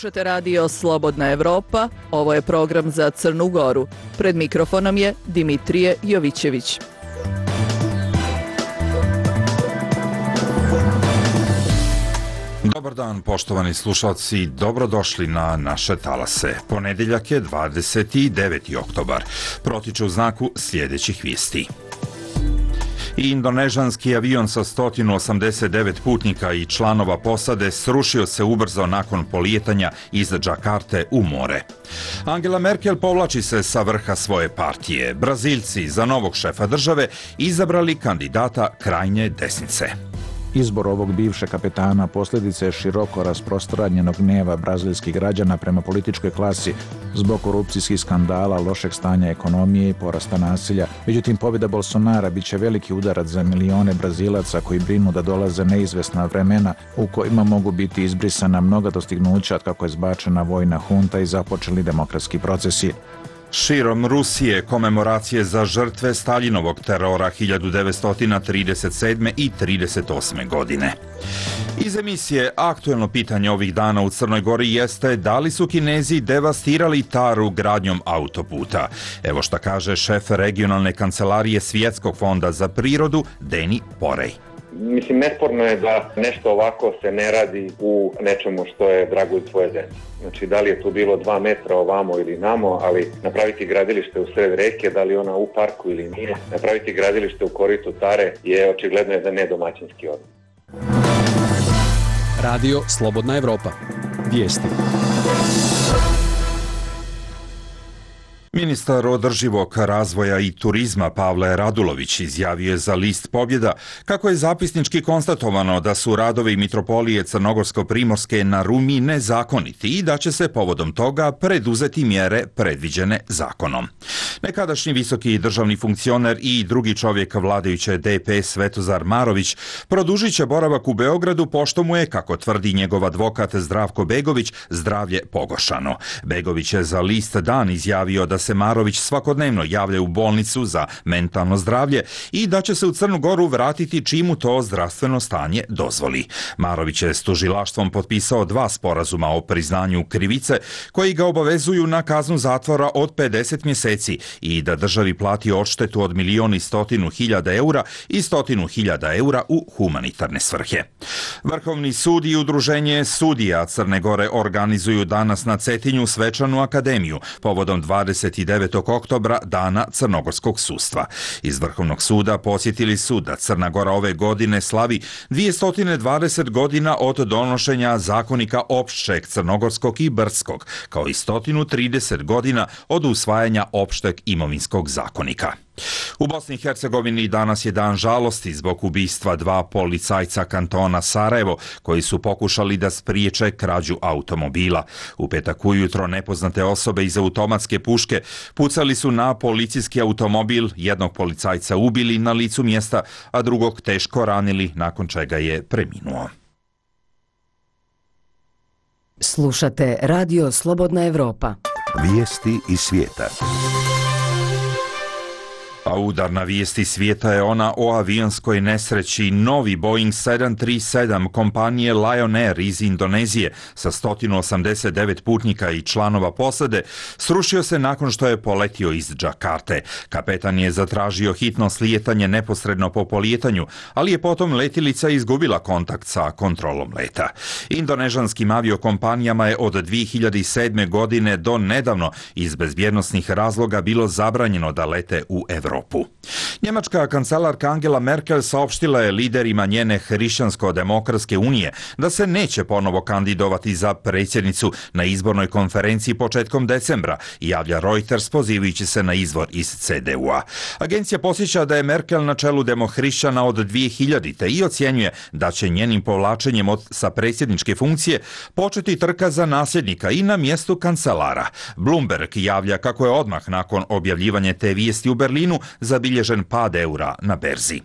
Slušate radio Slobodna Evropa, ovo je program za Crnu Goru. Pred mikrofonom je Dimitrije Jovićević. Dobar dan, poštovani slušalci, dobrodošli na naše talase. Ponedeljak je 29. oktobar. Protiče u znaku sljedećih vijesti. Indonežanski avion sa 189 putnika i članova posade srušio se ubrzo nakon polijetanja iz Džakarte u more. Angela Merkel povlači se sa vrha svoje partije. Brazilci za novog šefa države izabrali kandidata krajnje desnice. Izbor ovog bivšeg kapetana posljedica je široko rasprostranjenog gneva brazilskih građana prema političkoj klasi zbog korupcijskih skandala, lošeg stanja ekonomije i porasta nasilja. Međutim, pobjeda Bolsonara bit će veliki udarac za milione Brazilaca koji brinu da dolaze neizvesna vremena u kojima mogu biti izbrisana mnoga dostignuća od kako je zbačena vojna hunta i započeli demokratski procesi. Širom Rusije komemoracije za žrtve Staljinovog terora 1937. i 1938. godine. Iz emisije aktuelno pitanje ovih dana u Crnoj Gori jeste da li su Kinezi devastirali Taru gradnjom autoputa. Evo šta kaže šef regionalne kancelarije Svjetskog fonda za prirodu Deni Porej. Mislim, nesporno je da nešto ovako se ne radi u nečemu što je dragulj tvoje zemlje. Znači, da li je tu bilo 2 metra ovamo ili namo, ali napraviti gradilište u sred reke, da li ona u parku ili nije, napraviti gradilište u koritu Tare je očigledno da ne domaćinski odnos. Radio Slobodna Evropa. Vijesti. Ministar održivog razvoja i turizma Pavle Radulović izjavio je za list Pobjeda kako je zapisnički konstatovano da su radovi Mitropolije Crnogorsko-Primorske na Rumi nezakoniti i da će se povodom toga preduzeti mjere predviđene zakonom. Nekadašnji visoki državni funkcioner i drugi čovjek vladajuće DPS Svetozar Marović produžit će boravak u Beogradu pošto mu je, kako tvrdi njegov advokat Zdravko Begović, zdravlje pogoršano. Begović je za list Dan izjavio da se Marović svakodnevno javlja u bolnicu za mentalno zdravlje i da će se u Crnu Goru vratiti čim mu to zdravstveno stanje dozvoli. Marović je s tužilaštvom potpisao 2 sporazuma o priznanju krivice koji ga obavezuju na kaznu zatvora od 50 mjeseci i da državi plati odštetu od 1.100.000 eura i 100.000 eura u humanitarne svrhe. Vrhovni sud i udruženje sudija Crne Gore organizuju danas na Cetinju svečanu akademiju povodom 29. oktobra, dana crnogorskog sudstva. Iz Vrhovnog suda podsjetili su da Crna Gora ove godine slavi 220 godina od donošenja zakonika opšteg crnogorskog i brdskog, kao i 130 godina od usvajanja opšteg imovinskog zakonika. U Bosni i Hercegovini danas je dan žalosti zbog ubistva 2 policajca kantona Sarajevo koji su pokušali da spriječe krađu automobila. U petak ujutro nepoznate osobe iz automatske puške pucali su na policijski automobil, jednog policajca ubili na licu mjesta, a drugog teško ranili, nakon čega je preminuo. Slušate Radio Slobodna Evropa. Vijesti iz svijeta. A udarna vijesti svijeta je ona o avionskoj nesreći. Novi Boeing 737 kompanije Lion Air iz Indonezije sa 189 putnika i članova posade srušio se nakon što je poletio iz Džakarte. Kapetan je zatražio hitno slijetanje neposredno po polijetanju, ali je potom letilica izgubila kontakt sa kontrolom leta. Indonežanskim aviokompanijama je od 2007. godine do nedavno iz bezbjednosnih razloga bilo zabranjeno da lete u Evropu. Njemačka kancelarka Angela Merkel saopštila je liderima njene Hrišćansko-demokratske unije da se neće ponovo kandidovati za predsjednicu na izbornoj konferenciji početkom decembra, javlja Reuters pozivajući se na izvor iz CDU-a. Agencija posjeća da je Merkel na čelu demohrišćana od 2000. i ocjenjuje da će njenim povlačenjem sa predsjedničke funkcije početi trka za nasljednika i na mjestu kancelara. Bloomberg javlja kako je odmah nakon objavljivanja te vijesti u Berlinu zabilježen pad eura na berzi.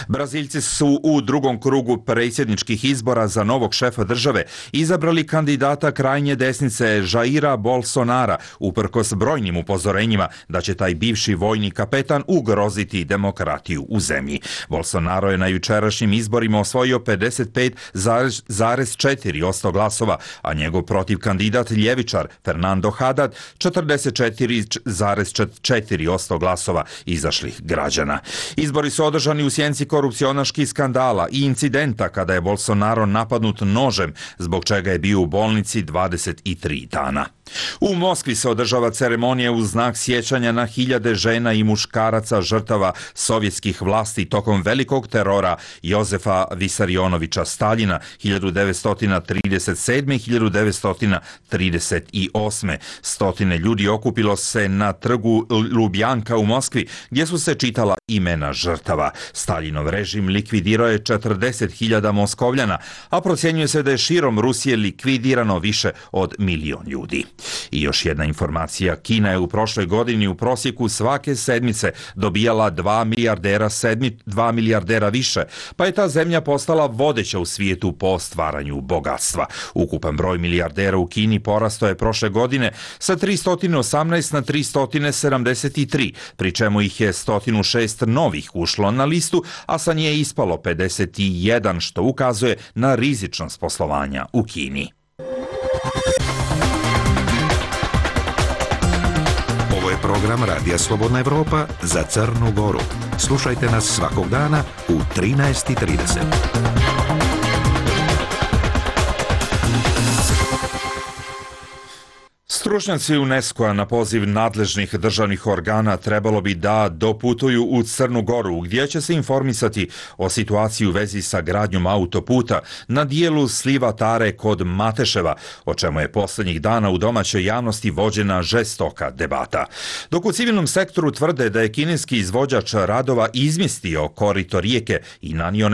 Braziljci su u drugom krugu predsjedničkih izbora za novog šefa države izabrali kandidata krajnje desnice Jaira Bolsonara, uprkos brojnim upozorenjima da će taj bivši vojni kapetan ugroziti demokratiju u zemlji. Bolsonaro je na jučerašnjim izborima osvojio 55,4% glasova, a njegov protiv kandidat ljevičar Fernando Haddad 44,4% glasova izašlih građana. Izbori su održani u sjenci korupcionaških skandala i incidenta kada je Bolsonaro napadnut nožem, zbog čega je bio u bolnici 23 dana. U Moskvi se održava ceremonija u znak sjećanja na hiljade žena i muškaraca žrtava sovjetskih vlasti tokom velikog terora Jozefa Visarionovića Staljina 1937-1938. Stotine ljudi okupilo se na trgu Lubjanka u Moskvi, gdje su se čitala imena žrtava. Staljinov režim likvidirao je 40.000 Moskovljana, a procjenjuje se da je širom Rusije likvidirano više od 1 milion ljudi. I još jedna informacija, Kina je u prošloj godini u prosjeku svake sedmice dobijala 2 milijardera više, pa je ta zemlja postala vodeća u svijetu po stvaranju bogatstva. Ukupan broj milijardera u Kini porastao je prošle godine sa 318 na 373, pri čemu ih je 106 novih ušlo na listu, a sa nje je ispalo 51, što ukazuje na rizičnost poslovanja u Kini. Ovo je program Radija Slobodna Evropa za Crnu Goru. Slušajte nas svakog dana u 13:30. Stručnjaci UNESCO-a na poziv nadležnih državnih organa trebalo bi da doputuju u Crnu Goru, gdje će se informisati o situaciji u vezi sa gradnjom autoputa na dijelu sliva Tare kod Mateševa, o čemu je posljednjih dana u domaćoj javnosti vođena žestoka debata. Dok u civilnom sektoru tvrde da je kineski izvođač radova izmjestio korito rijeke i nanio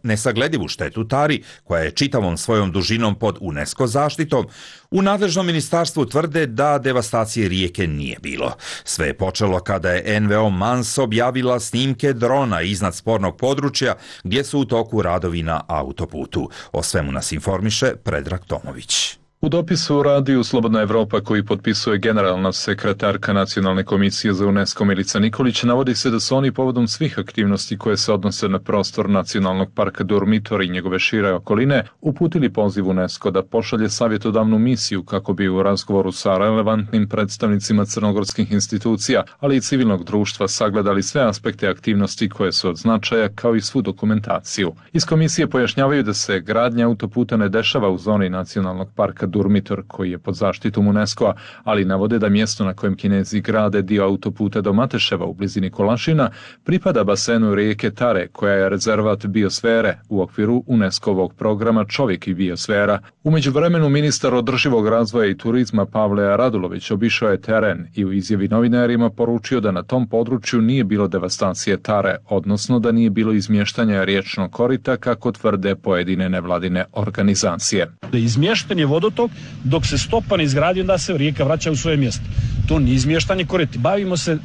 nesagledivu štetu Tari, koja je čitavom svojom dužinom pod UNESCO zaštitom, u nadležnom ministarstvu tvrde da devastacije rijeke nije bilo. Sve je počelo kada je NVO Mans objavila snimke drona iznad spornog područja gdje su u toku radovi na autoputu. O svemu nas informiše Predrag Tomović. U dopisu Radiju Slobodna Evropa koji potpisuje generalna sekretarka Nacionalne komisije za UNESCO Milica Nikolić navodi se da su oni povodom svih aktivnosti koje se odnose na prostor Nacionalnog parka Durmitor i njegove šire okoline uputili poziv UNESCO da pošalje savjetodavnu misiju kako bi u razgovoru sa relevantnim predstavnicima crnogorskih institucija, ali i civilnog društva sagledali sve aspekte aktivnosti koje su od značaja kao i svu dokumentaciju. Iz komisije pojašnjavaju da se gradnja autoputa ne dešava u zoni Nacionalnog parka Durmitor koji je pod zaštitom UNESCO-a, ali navode da mjesto na kojem Kinezi grade dio autoputa do Mateševa u blizini Kolašina pripada basenu rijeke Tare, koja je rezervat biosfere u okviru UNESCO-ovog programa Čovjek i biosfera. U međuvremenu ministar održivog razvoja i turizma Pavle Radulović obišao je teren i u izjavi novinarima poručio da na tom području nije bilo devastacije Tare, odnosno da nije bilo izmještanja riječnog korita kako tvrde pojedine nevladine organizacije. Izmješten je vodotok, dok se stopa ne izgradi, onda se rijeka vraća u svoje mjesto. To nije izmještanje korita. Bavimo se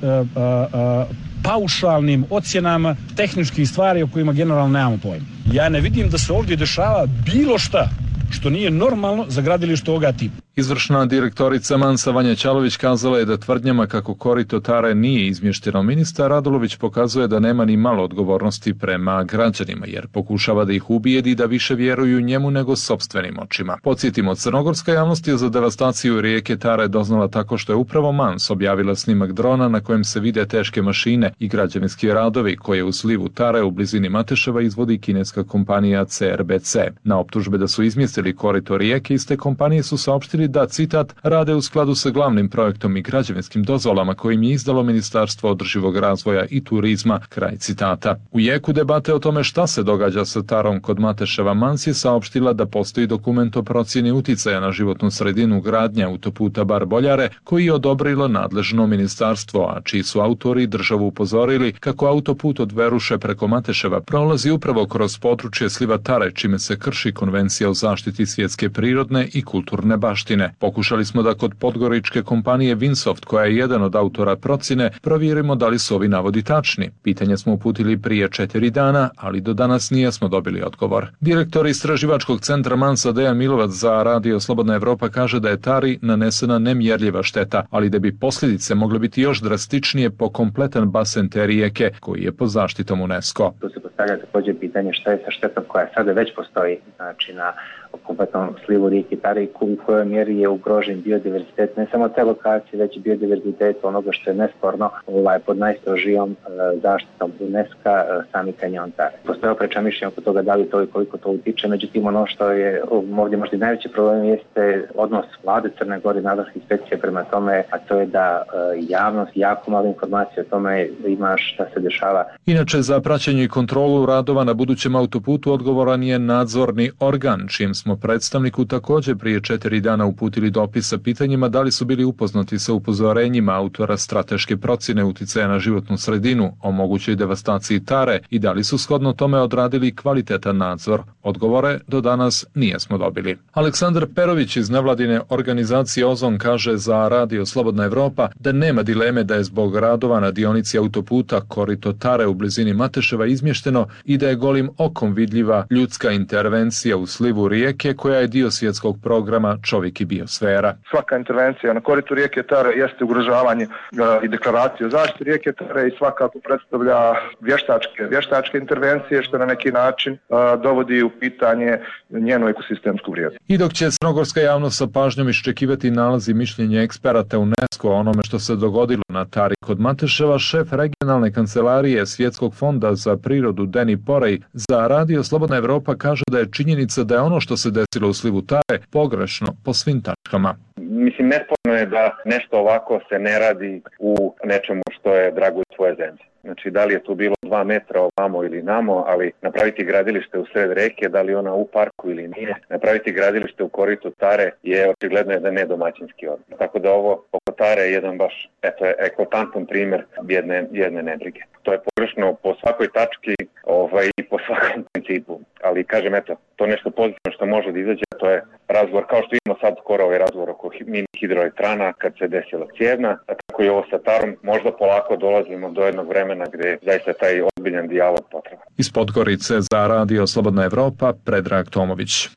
paušalnim ocjenama tehničkih stvari o kojima generalno nemamo pojma. Ja ne vidim da se ovdje dešava bilo šta što nije normalno za gradilište ovoga tipa. Izvršna direktorica Mansa Vanja Ćalović kazala je da tvrdnjama kako korito Tare nije izmješteno. Ministar Radulović pokazuje da nema ni malo odgovornosti prema građanima, jer pokušava da ih ubijedi da više vjeruju njemu nego sopstvenim očima. Podsjetimo, crnogorska javnost je za devastaciju rijeke Tare doznala tako što je upravo Mans objavila snimak drona na kojem se vide teške mašine i građevinski radovi koje u slivu Tare u blizini Mateševa izvodi kineska kompanija CRBC. Na optužbe da su izmjestili korito rijeke, iste kompanije su saopštili da, citat, rade u skladu sa glavnim projektom i građevinskim dozvolama kojim je izdalo Ministarstvo održivog razvoja i turizma, kraj citata. U jeku debate o tome šta se događa sa Tarom kod Mateševa, Mans je saopštila da postoji dokument o procjeni uticaja na životnu sredinu gradnje autoputa Bar-Boljare koji je odobrilo nadležno ministarstvo, a čiji su autori državu upozorili kako autoput od Veruše preko Mateševa prolazi upravo kroz područje sliva Tare, čime se krši konvencija o zaštiti svjetske prirodne i kulturne baštine. procjene. Pokušali smo da kod podgoričke kompanije Vinsoft, koja je jedan od autora procjene, provjerimo da li su ovi navodi tačni. Pitanje smo uputili prije 4 dana, ali do danas nismo dobili odgovor. Direktor istraživačkog centra Mansa Dejan Milovac za Radio Slobodna Evropa kaže da je Tari nanesena nemjerljiva šteta, ali da bi posljedice mogle biti još drastičnije po kompletan basen te rijeke, koji je pod zaštitom UNESCO. Tu se postavlja također pitanje šta je sa štetom koja sada već postoji, znači na kompletnom slivu rijeke Tare i u kojoj mjeri je ugrožen biodiverzitet, ne samo te lokacije, već i biodiverzitet onoga što je nesporno pod najstrožijom zaštitom UNESCO sami kanjon Tare. Postoje oprečna mišljenja oko toga da li to i koliko to utiče, međutim ono što je ovdje možda i najveći problem jeste odnos vlade Crne Gore i nadležnih inspekcija prema tome, a to je da javnost jako malo informacije o tome ima šta se dešava. Inače, za praćenje i kontrolu radova na budućem autoputu odgovoran je nadzorni organ, čijem smo predstavniku također prije 4 dana uputili dopis sa pitanjima da li su bili upoznati sa upozorenjima autora strateške procjene uticaja na životnu sredinu o mogućoj devastaciji Tare i da li su shodno tome odradili kvalitetan nadzor. Odgovore do danas nijesmo dobili. Aleksandar Perović iz nevladine organizacije Ozon kaže za Radio Slobodna Evropa da nema dileme da je zbog radova na dionici autoputa korito Tare u blizini Mateševa izmješteno i da je golim okom vidljiva ljudska intervencija u slivu rijeke koja je dio svjetskog programa Čovjek i biosfera. Svaka intervencija na koritu rijeke Tare jeste ugrožavanje i deklaracije o zaštiti rijeke Tare i svakako predstavlja vještačke intervencije što na neki način dovodi u pitanje njenu ekosistemsku vrijednost. I dok će crnogorska javnost sa pažnjom iščekivati nalazi mišljenja eksperata UNESCO o onome što se dogodilo na Tari kod Mateševa, šef regionalne kancelarije Svjetskog fonda za prirodu Deni Porej za Radio Slobodna Evropa kaže da je činjenica da je ono što se desilo u slivu Tare pogrešno po svim tačkama. Mislim, nesporno je da nešto ovako se ne radi u nečemu što je drago tvoje zemlje. Znači, da li je tu bilo 2 metra ovamo ili namo, ali napraviti gradilište u sred reke, da li ona u parku ili nije, napraviti gradilište u koritu Tare je očigledno jedan nedomaćinski odnos. Tako da ovo oko Tare je jedan baš eklatantan primjer jedne nebrige. To je pogrešno po svakoj tački i po svakom principu. Ali kažem, to nešto pozitivno što može da izađe, to je razgovor, kao što imamo sad skoro ovaj razgovor oko mini hidroelektrana kad se desila Cijevna, a tako i ovo sa Tarom, možda polako dolazimo do jednog vremena gdje zaista taj ozbiljan dijalog potreban. Iz Podgorice za Radio Slobodna Evropa, Predrag Tomović.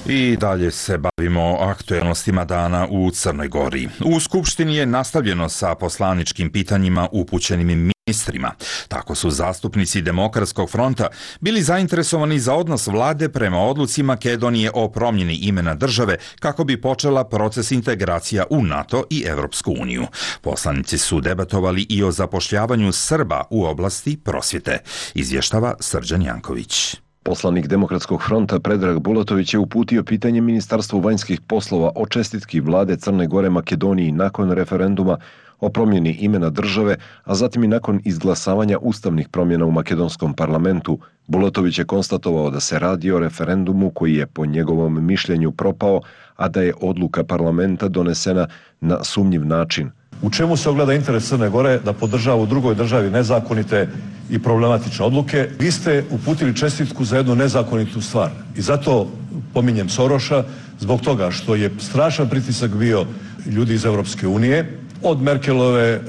I dalje se bavimo aktuelnostima dana u Crnoj Gori. U Skupštini je nastavljeno sa poslaničkim pitanjima upućenim ministrima. Tako su zastupnici Demokratskog fronta bili zainteresovani za odnos vlade prema odluci Makedonije o promjeni imena države kako bi počela proces integracija u NATO i Evropsku uniju. Poslanici su debatovali i o zapošljavanju Srba u oblasti prosvjete, izvještava Srđan Janković. Poslanik Demokratskog fronta Predrag Bulatović je uputio pitanje Ministarstvu vanjskih poslova o čestitki vlade Crne Gore Makedoniji nakon referenduma o promjeni imena države, a zatim i nakon izglasavanja ustavnih promjena u makedonskom parlamentu. Bulatović je konstatovao da se radi o referendumu koji je po njegovom mišljenju propao, a da je odluka parlamenta donesena na sumnjiv način. U čemu se ogleda interes Crne Gore da podržava u drugoj državi nezakonite i problematične odluke? Vi ste uputili čestitku za jednu nezakonitu stvar i zato pominjem Soroša zbog toga što je strašan pritisak bio ljudi iz Europske unije, od Merkelove,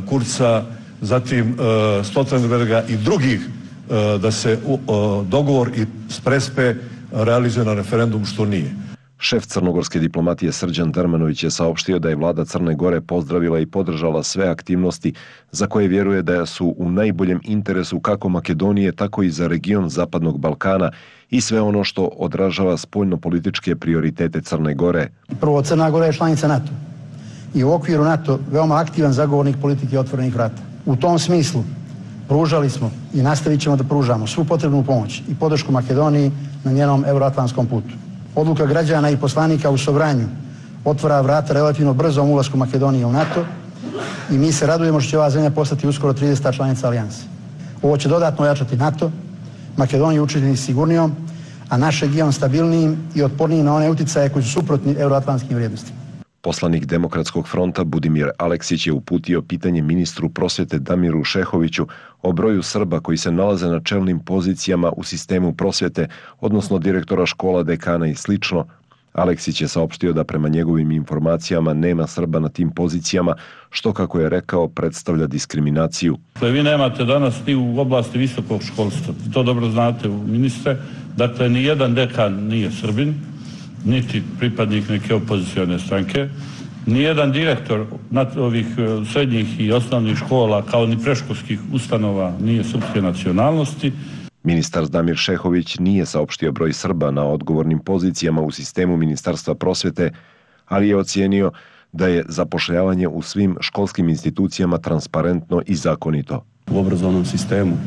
Kurza, zatim Stoltenberga i drugih da se dogovor i Prespe realizuje na referendum, što nije. Šef crnogorske diplomatije Srđan Dermanović je saopštio da je vlada Crne Gore pozdravila i podržala sve aktivnosti za koje vjeruje da su u najboljem interesu kako Makedonije, tako i za region Zapadnog Balkana i sve ono što odražava spoljno-političke prioritete Crne Gore. Prvo, Crna Gora je članica NATO i u okviru NATO veoma aktivan zagovornik politike otvorenih vrata. U tom smislu pružali smo i nastavit ćemo da pružamo svu potrebnu pomoć i podršku Makedoniji na njenom euroatlantskom putu. Odluka građana i poslanika u Sobranju otvara vrata relativno brzom ulasku Makedonije u NATO i mi se radujemo što će ova zemlja postati uskoro 30. članica alijanse. Ovo će dodatno ojačati NATO, Makedoniju učiniti sigurnijom, a naš region stabilnijim i otpornijim na one uticaje koji su suprotni euroatlantskim vrijednostima. Poslanik Demokratskog fronta Budimir Aleksić je uputio pitanje ministru prosvjete Damiru Šehoviću o broju Srba koji se nalaze na čelnim pozicijama u sistemu prosvjete, odnosno direktora škola, dekana i sl. Aleksić je saopštio da prema njegovim informacijama nema Srba na tim pozicijama, što, kako je rekao, predstavlja diskriminaciju. Vi nemate danas ni u oblasti visokog školstva, to dobro znate, ministre, dakle ni jedan dekan nije Srbin, niti pripadnik neke opozicione stranke, nijedan direktor ovih srednjih i osnovnih škola kao ni predškolskih ustanova nije srpske nacionalnosti. Ministar Damir Šehović nije saopštio broj Srba na odgovornim pozicijama u sistemu Ministarstva prosvjete, ali je ocijenio da je zapošljavanje u svim školskim institucijama transparentno i zakonito. U obrazovnom sistemu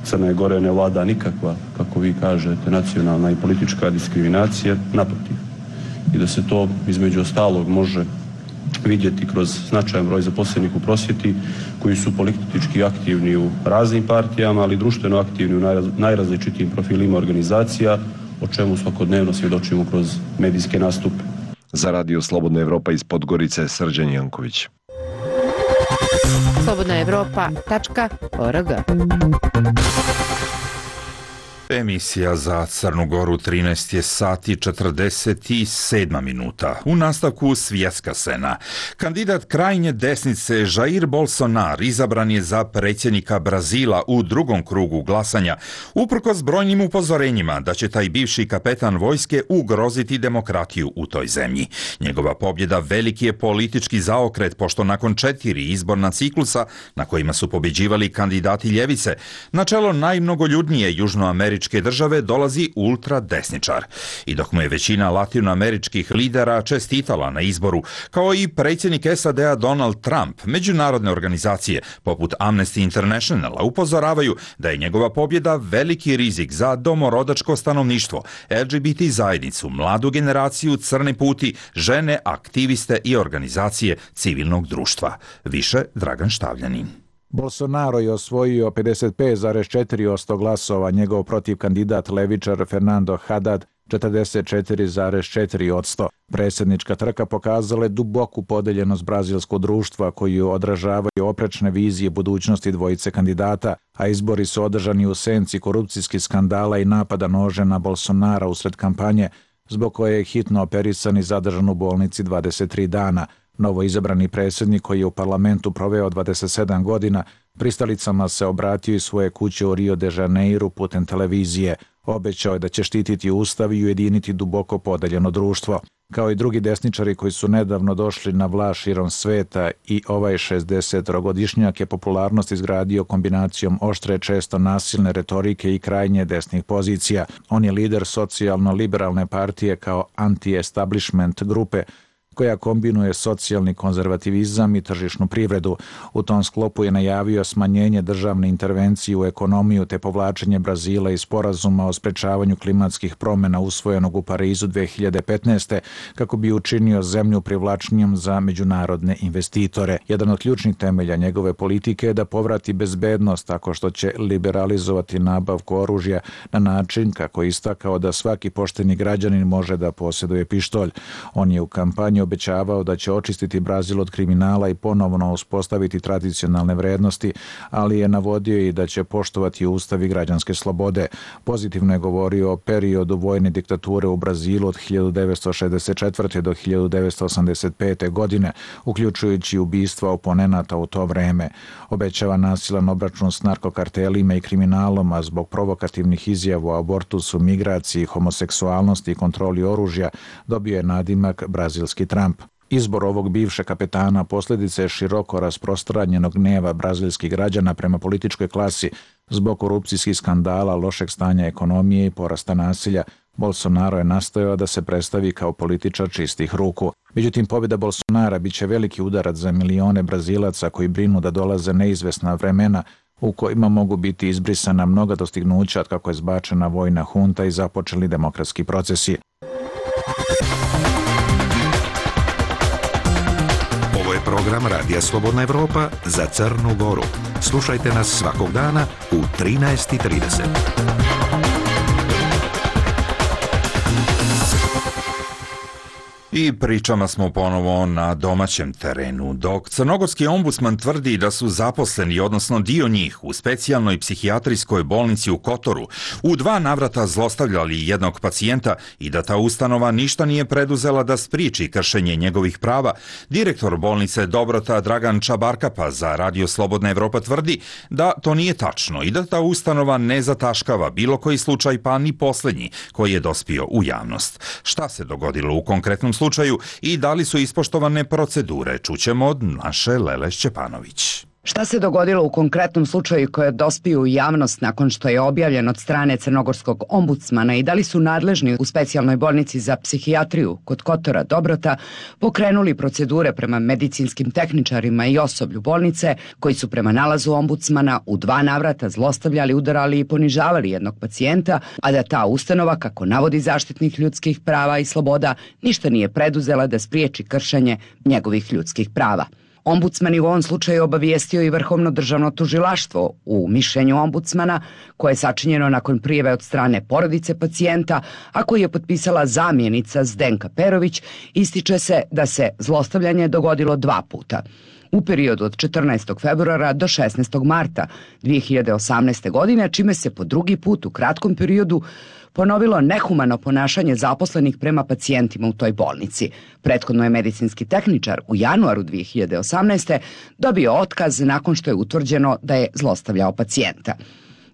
Crne Gore ne vlada nikakva, kako vi kažete, nacionalna i politička diskriminacija, naprotiv. I da se to između ostalog može vidjeti kroz značajan broj zaposlenih u prosvjeti koji su politički aktivni u raznim partijama, ali društveno aktivni u najrazličitijim profilima organizacija, o čemu svakodnevno svjedočimo kroz medijske nastupe. Za Radio Slobodna Evropa iz Podgorice, Srđan Janković. slobodnaevropa.org. Emisija za Crnu Goru 13 je sati 47 minuta. U nastavku svjetska scena. Kandidat krajnje desnice Jair Bolsonaro izabran je za predsjednika Brazila u drugom krugu glasanja, uprkos brojnim upozorenjima da će taj bivši kapetan vojske ugroziti demokratiju u toj zemlji. Njegova pobjeda veliki je politički zaokret, pošto nakon 4 izborna ciklusa na kojima su pobjeđivali kandidati ljevice, na čelo najmnogoljudnije južnoameričke države dolazi ultradesničar. I dok mu je većina latinoameričkih lidera čestitala na izboru, kao i predsjednik SAD-a Donald Trump, međunarodne organizacije poput Amnesty Internationala upozoravaju da je njegova pobjeda veliki rizik za domorodačko stanovništvo, LGBT zajednicu, mladu generaciju, crne puti, žene, aktiviste i organizacije civilnog društva. Više Dragan Štavljanin. Bolsonaro je osvojio 55,4% glasova, njegov protiv kandidat levičar Fernando Haddad 44,4%. Predsjednička trka pokazala je duboku podeljenost brazilskog društva koju odražavaju oprečne vizije budućnosti dvojice kandidata, a izbori su održani u senci korupcijskih skandala i napada nože na Bolsonara usred kampanje, zbog koje je hitno operisan i zadržan u bolnici 23 dana. Novo izabrani predsjednik, koji je u parlamentu proveo 27 godina, pristalicama se obratio iz svoje kuće u Rio de Janeiro putem televizije. Obećao je da će štititi ustav i ujediniti duboko podeljeno društvo. Kao i drugi desničari koji su nedavno došli na vlast širom sveta, i ovaj 60-godišnjak je popularnost izgradio kombinacijom oštre, često nasilne retorike i krajnje desnih pozicija. On je lider socijalno-liberalne partije kao anti-establishment grupe, koja kombinuje socijalni konzervativizam i tržišnu privredu. U tom sklopu je najavio smanjenje državne intervencije u ekonomiju te povlačenje Brazila iz sporazuma o sprečavanju klimatskih promjena usvojenog u Parizu 2015. kako bi učinio zemlju privlačnijom za međunarodne investitore. Jedan od ključnih temelja njegove politike je da povrati bezbednost tako što će liberalizovati nabavku oružja na način kako je istakao da svaki pošteni građanin može da posjeduje pištolj. On je u kampanji obećavao da će očistiti Brazil od kriminala i ponovno uspostaviti tradicionalne vrednosti, ali je navodio i da će poštovati ustav i građanske slobode. Pozitivno je govorio o periodu vojne diktature u Brazilu od 1964. do 1985. godine, uključujući ubistva oponenata u to vreme. Obećava nasilan obračun s narkokartelima i kriminalom, a zbog provokativnih izjava o abortusu, migraciji, homoseksualnosti i kontroli oružja dobio je nadimak brazilski Trump. Izbor ovog bivšeg kapetana posljedica je široko rasprostranjenog gneva brazilskih građana prema političkoj klasi zbog korupcijskih skandala, lošeg stanja ekonomije i porasta nasilja. Bolsonaro je nastojao da se predstavi kao političar čistih ruku. Međutim, pobjeda Bolsonara biće veliki udarac za milione Brazilaca koji brinu da dolaze neizvesna vremena u kojima mogu biti izbrisana mnoga dostignuća od kako je zbačena vojna hunta i započeli demokratski procesi. Ovo je program Radija Slobodna Evropa za Crnu Goru. Slušajte nas svakog dana u 13:30. I pričama smo ponovo na domaćem terenu. Dok crnogorski ombudsman tvrdi da su zaposleni, odnosno dio njih, u specijalnoj psihijatrijskoj bolnici u Kotoru u 2 navrata zlostavljali jednog pacijenta i da ta ustanova ništa nije preduzela da spriječi kršenje njegovih prava, direktor bolnice Dobrota Dragan Čabarkapa za Radio Slobodna Evropa tvrdi da to nije tačno i da ta ustanova ne zataškava bilo koji slučaj, pa ni posljednji koji je dospio u javnost. Šta se dogodilo u konkretnom slučaju i da li su ispoštovane procedure, čućemo od naše Lele Šćepanović. Šta se dogodilo u konkretnom slučaju koji je dospio u javnost nakon što je objavljen od strane crnogorskog ombudsmana i da li su nadležni u specijalnoj bolnici za psihijatriju kod Kotora Dobrota pokrenuli procedure prema medicinskim tehničarima i osoblju bolnice koji su prema nalazu ombudsmana u 2 navrata zlostavljali, udarali i ponižavali jednog pacijenta, a da ta ustanova, kako navodi zaštitnik ljudskih prava i sloboda, ništa nije preduzela da spriječi kršenje njegovih ljudskih prava. Ombudsman je u ovom slučaju obavijestio i Vrhovno državno tužilaštvo u mišljenju ombudsmana, koje je sačinjeno nakon prijave od strane porodice pacijenta, a koji je potpisala zamjenica Zdenka Perović, ističe se da se zlostavljanje dogodilo 2 puta. U periodu od 14. februara do 16. marta 2018. godine, čime se po 2. put u kratkom periodu ponovilo nehumano ponašanje zaposlenih prema pacijentima u toj bolnici. Prethodno je medicinski tehničar u januaru 2018. dobio otkaz nakon što je utvrđeno da je zlostavljao pacijenta.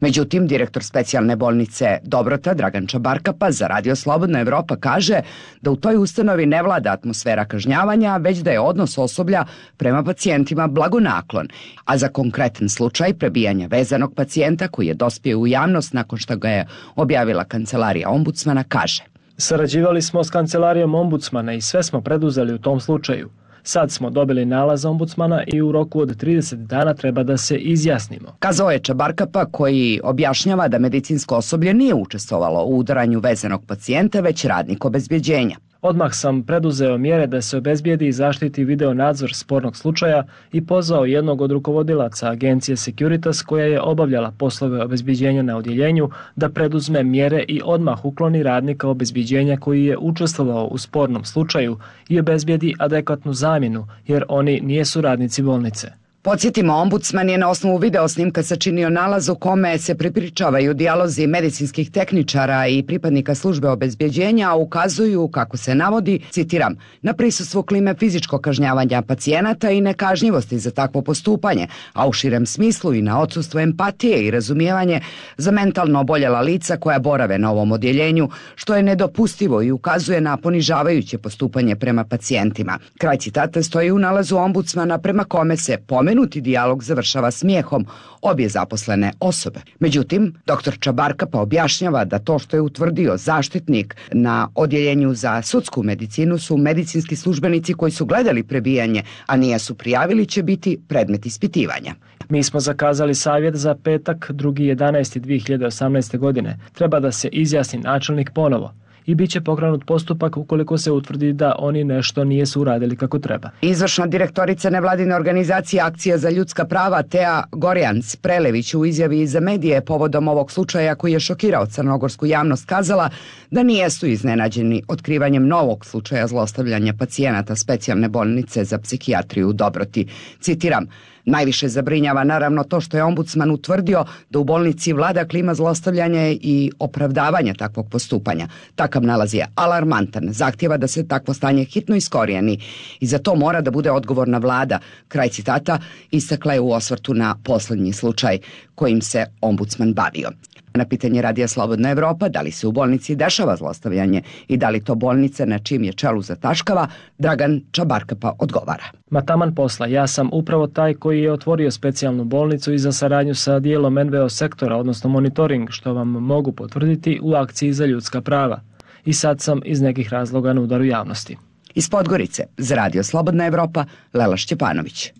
Međutim, direktor specijalne bolnice Dobrota Dragan Čabarkapa za Radio Slobodna Evropa kaže da u toj ustanovi ne vlada atmosfera kažnjavanja, već da je odnos osoblja prema pacijentima blagonaklon, a za konkretan slučaj prebijanja vezanog pacijenta koji je dospio u javnost nakon što ga je objavila kancelarija ombudsmana kaže: Sarađivali smo s kancelarijom ombudsmana i sve smo preduzeli u tom slučaju. Sad smo dobili nalaz ombudsmana i u roku od 30 dana treba da se izjasnimo. Kazao je Čabarkapa, koji objašnjava da medicinsko osoblje nije učestvovalo u udaranju vezanog pacijenta, već radnik obezbjeđenja. Odmah sam preduzeo mjere da se obezbijedi i zaštiti video nadzor spornog slučaja i pozvao jednog od rukovodilaca agencije Securitas koja je obavljala poslove obezbjeđenja na odjeljenju da preduzme mjere i odmah ukloni radnika obezbjeđenja koji je učestvovao u spornom slučaju i obezbijedi adekvatnu zamjenu jer oni nijesu radnici bolnice. Podsjetimo, ombudsman je na osnovu video snimka sačinio nalaz u kome se prepričavaju dijalozi medicinskih tehničara i pripadnika službe obezbjeđenja, a ukazuju, kako se navodi, citiram, na prisustvo klime fizičkog kažnjavanja pacijenata i nekažnjivosti za takvo postupanje, a u širem smislu i na odsustvo empatije i razumijevanje za mentalno oboljela lica koja borave na ovom odjeljenju, što je nedopustivo i ukazuje na ponižavajuće postupanje prema pacijentima. Kraj citata stoji u nalazu ombudsmana prema kome se pomenuti dijalog završava smijehom obje zaposlene osobe. Međutim, dr. Čabarkapa objašnjava da to što je utvrdio zaštitnik na odjeljenju za sudsku medicinu su medicinski službenici koji su gledali prebijanje, a nisu prijavili, će biti predmet ispitivanja. Mi smo zakazali savjet za petak 2.11.2018. godine. Treba da se izjasni načelnik ponovo i bit će pokrenut postupak ukoliko se utvrdi da oni nešto nijesu uradili kako treba. Izvršna direktorica nevladine organizacije Akcija za ljudska prava Tea Gorjans Prelević u izjavi za medije povodom ovog slučaja koji je šokirao crnogorsku javnost kazala da nijesu iznenađeni otkrivanjem novog slučaja zlostavljanja pacijenata specijalne bolnice za psihijatriju u Dobroti. Citiram: najviše zabrinjava naravno to što je ombudsman utvrdio da u bolnici vlada klima zlostavljanja i opravdavanja takvog postupanja. Takav nalaz je alarmantan, zahtjeva da se takvo stanje hitno iskorijeni i za to mora da bude odgovorna vlada. Kraj citata istakla je u osvrtu na posljednji slučaj kojim se ombudsman bavio. Na pitanje Radija Slobodna Evropa da li se u bolnici dešava zlostavljanje i da li to bolnica na čim je čelu zataškava, Dragan Čabarkapa odgovara: Ma taman posla, ja sam upravo taj koji je otvorio specijalnu bolnicu i za saradnju sa dijelom NVO sektora, odnosno monitoring, što vam mogu potvrditi u akciji za ljudska prava. I sad sam iz nekih razloga na udaru javnosti. Iz Podgorice, za Radio Slobodna Evropa, Lela Šćepanović.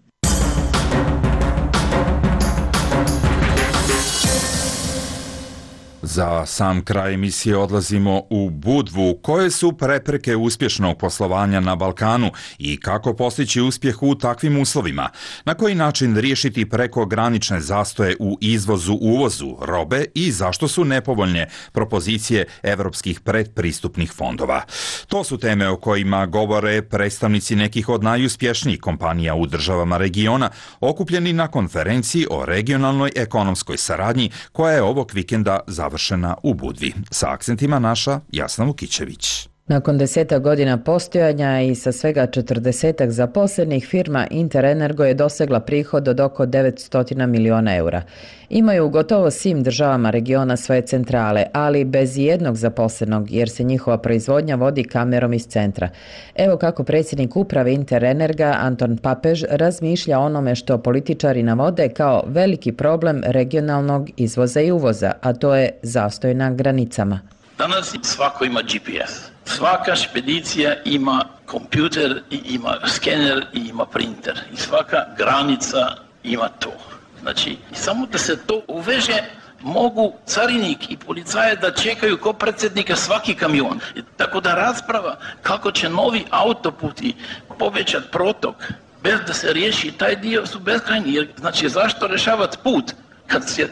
Za sam kraj emisije odlazimo u Budvu. Koje su prepreke uspješnog poslovanja na Balkanu i kako postići uspjeh u takvim uslovima? Na koji način riješiti prekogranične zastoje u izvozu-uvozu robe i zašto su nepovoljne propozicije evropskih predpristupnih fondova? To su teme o kojima govore predstavnici nekih od najuspješnijih kompanija u državama regiona, okupljeni na konferenciji o regionalnoj ekonomskoj saradnji koja je ovog vikenda završena u Budvi. Sa akcentima naša Jasna Vukićević. Nakon 10 godina postojanja i sa svega 40 zaposlenih, firma Interenergo je dosegla prihod od oko 900 miliona eura. Imaju u gotovo svim državama regiona svoje centrale, ali bez jednog zaposlenog, jer se njihova proizvodnja vodi kamerom iz centra. Evo kako predsjednik uprave Interenerga Anton Papež razmišlja o onome što političari navode kao veliki problem regionalnog izvoza i uvoza, a to je zastoj na granicama. Danas svako ima GPS. Svaka špedicija ima kompjuter i ima skener i ima printer. I svaka granica ima to. Znači, samo da se to uveže, mogu carinik i policaje da čekaju ko predsjednika svaki kamion. Tako da rasprava kako će novi autoputi povećati protok bez da se riješi taj dio su beskrajni. Jer, znači, zašto rješavati put kad se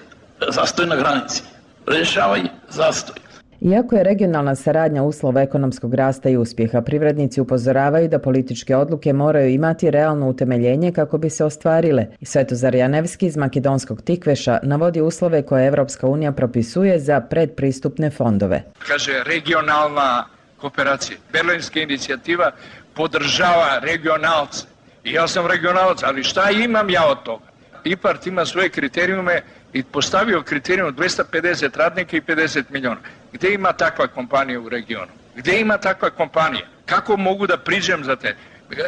zastoj na granici? Rješavaj zastoj. Iako je regionalna saradnja uslov ekonomskog rasta i uspjeha, privrednici upozoravaju da političke odluke moraju imati realno utemeljenje kako bi se ostvarile. Svetozar Janevski iz makedonskog Tikveša navodi uslove koje Evropska unija propisuje za predpristupne fondove. Kaže regionalna kooperacija. Berlinska inicijativa podržava regionalce. I ja sam regionalac, ali šta imam ja od toga? IPART ima svoje kriterijume i postavio kriterijum 250 radnika i 50 milijuna. Gdje ima takva kompanija u regionu? Gdje ima takva kompanija? Kako mogu da priđem za te?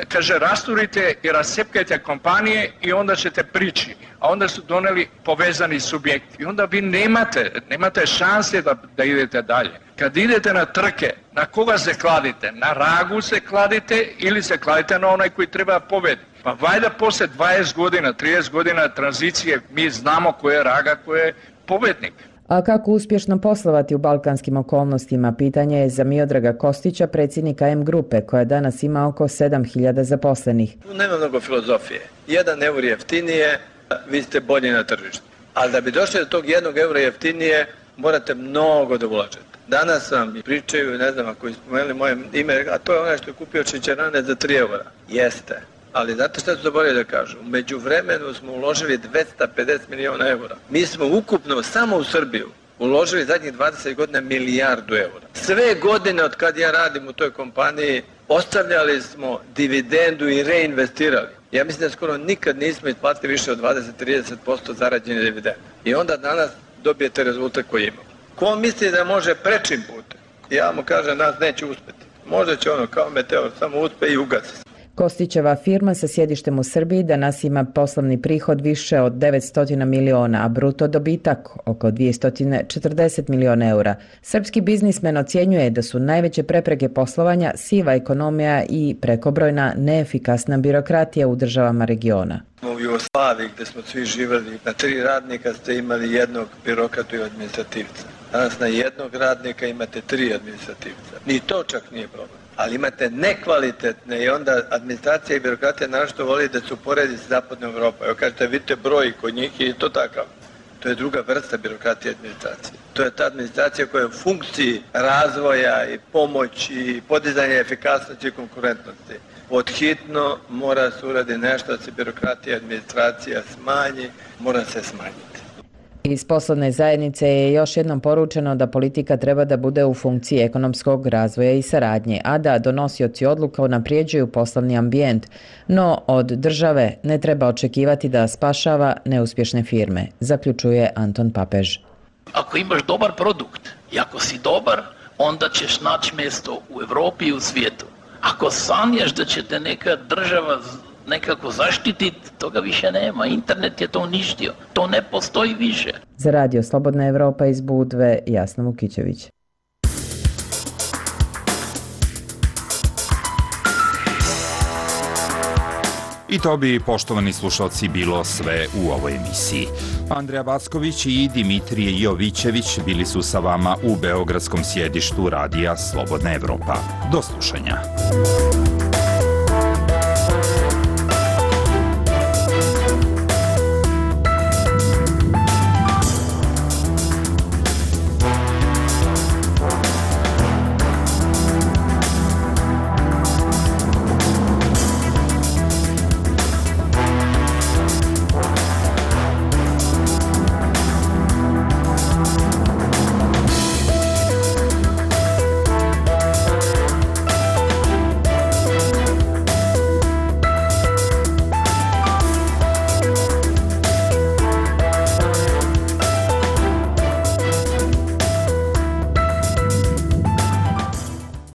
Kaže, rasturite i rascepkajte kompanije i onda ćete prići. A onda su doneli povezani subjekti. I onda vi nemate šanse da idete dalje. Kad idete na trke, na koga se kladite? Na Ragu se kladite ili se kladite na onaj koji treba pobediti? Pa valjda poslije 20 godina, 30 godina tranzicije mi znamo ko je Raga, ko je pobednik. A kako uspješno poslovati u balkanskim okolnostima, pitanje je za Miodraga Kostića, predsjednika M grupe, koja danas ima oko 7.000 zaposlenih. Tu nema mnogo filozofije. 1 euro jeftinije, vi ste bolji na tržištu. Ali da bi došli do tog 1 eura jeftinije, morate mnogo da ulažete. Danas vam pričaju, ne znam ako spomenuli moje ime, a to je onaj što je kupio šećerane za 3 eura. Jeste. Ali znate što su zaboravili da kažu? U međuvremenu smo uložili 250 milijuna eura. Mi smo ukupno samo u Srbiju uložili zadnjih 20 godina milijardu eura. Sve godine od kad ja radim u toj kompaniji ostavljali smo dividendu i reinvestirali. Ja mislim da skoro nikad nismo isplatili više od 20-30% zarađene dividende. I onda danas dobijete rezultat koji imamo. Ko misli da može prečim putem? Ja mu kažem, nas neće uspjeti. Možda će ono kao meteor, samo uspe i ugasi. Kostićeva firma sa sjedištem u Srbiji danas ima poslovni prihod više od 900 miliona, a bruto dobitak oko 240 miliona eura. Srpski biznismen ocjenjuje da su najveće prepreke poslovanja siva ekonomija i prekobrojna neefikasna birokratija u državama regiona. U Jugoslaviji gdje smo svi živjeli, na 3 radnika ste imali jednog birokratu i administrativca. Danas na jednog radnika imate 3 administrativca. Ni to čak nije problem. Ali imate nekvalitetne i onda administracija i birokratija našto voli da se uporedi sa zapadnom Evropom. Evo kažete, vidite broj kod njih i to takav. To je druga vrsta birokratije i administracije. To je ta administracija koja je u funkciji razvoja i pomoći i podizanja efikasnosti i konkurentnosti. Podhitno mora se uradi nešto da se birokratija i administracija smanji, mora se smanjiti. Iz poslovne zajednice je još jednom poručeno da politika treba da bude u funkciji ekonomskog razvoja i saradnje, a da donosioci odluka unaprijeđuju poslovni ambijent. No, od države ne treba očekivati da spašava neuspješne firme, zaključuje Anton Papež. Ako imaš dobar produkt i ako si dobar, onda ćeš naći mjesto u Europi i u svijetu. Ako sanjaš da će te neka država nekako zaštititi, toga više nema. Internet je to uništio. To ne postoji više. Za Radio Slobodna Evropa iz Budve, Jasna Vukićević. I to bi, poštovani slušalci, bilo sve u ovoj emisiji. Andreja Backović i Dimitrije Jovićević bili su sa vama u beogradskom sjedištu Radija Slobodna Evropa. Do slušanja.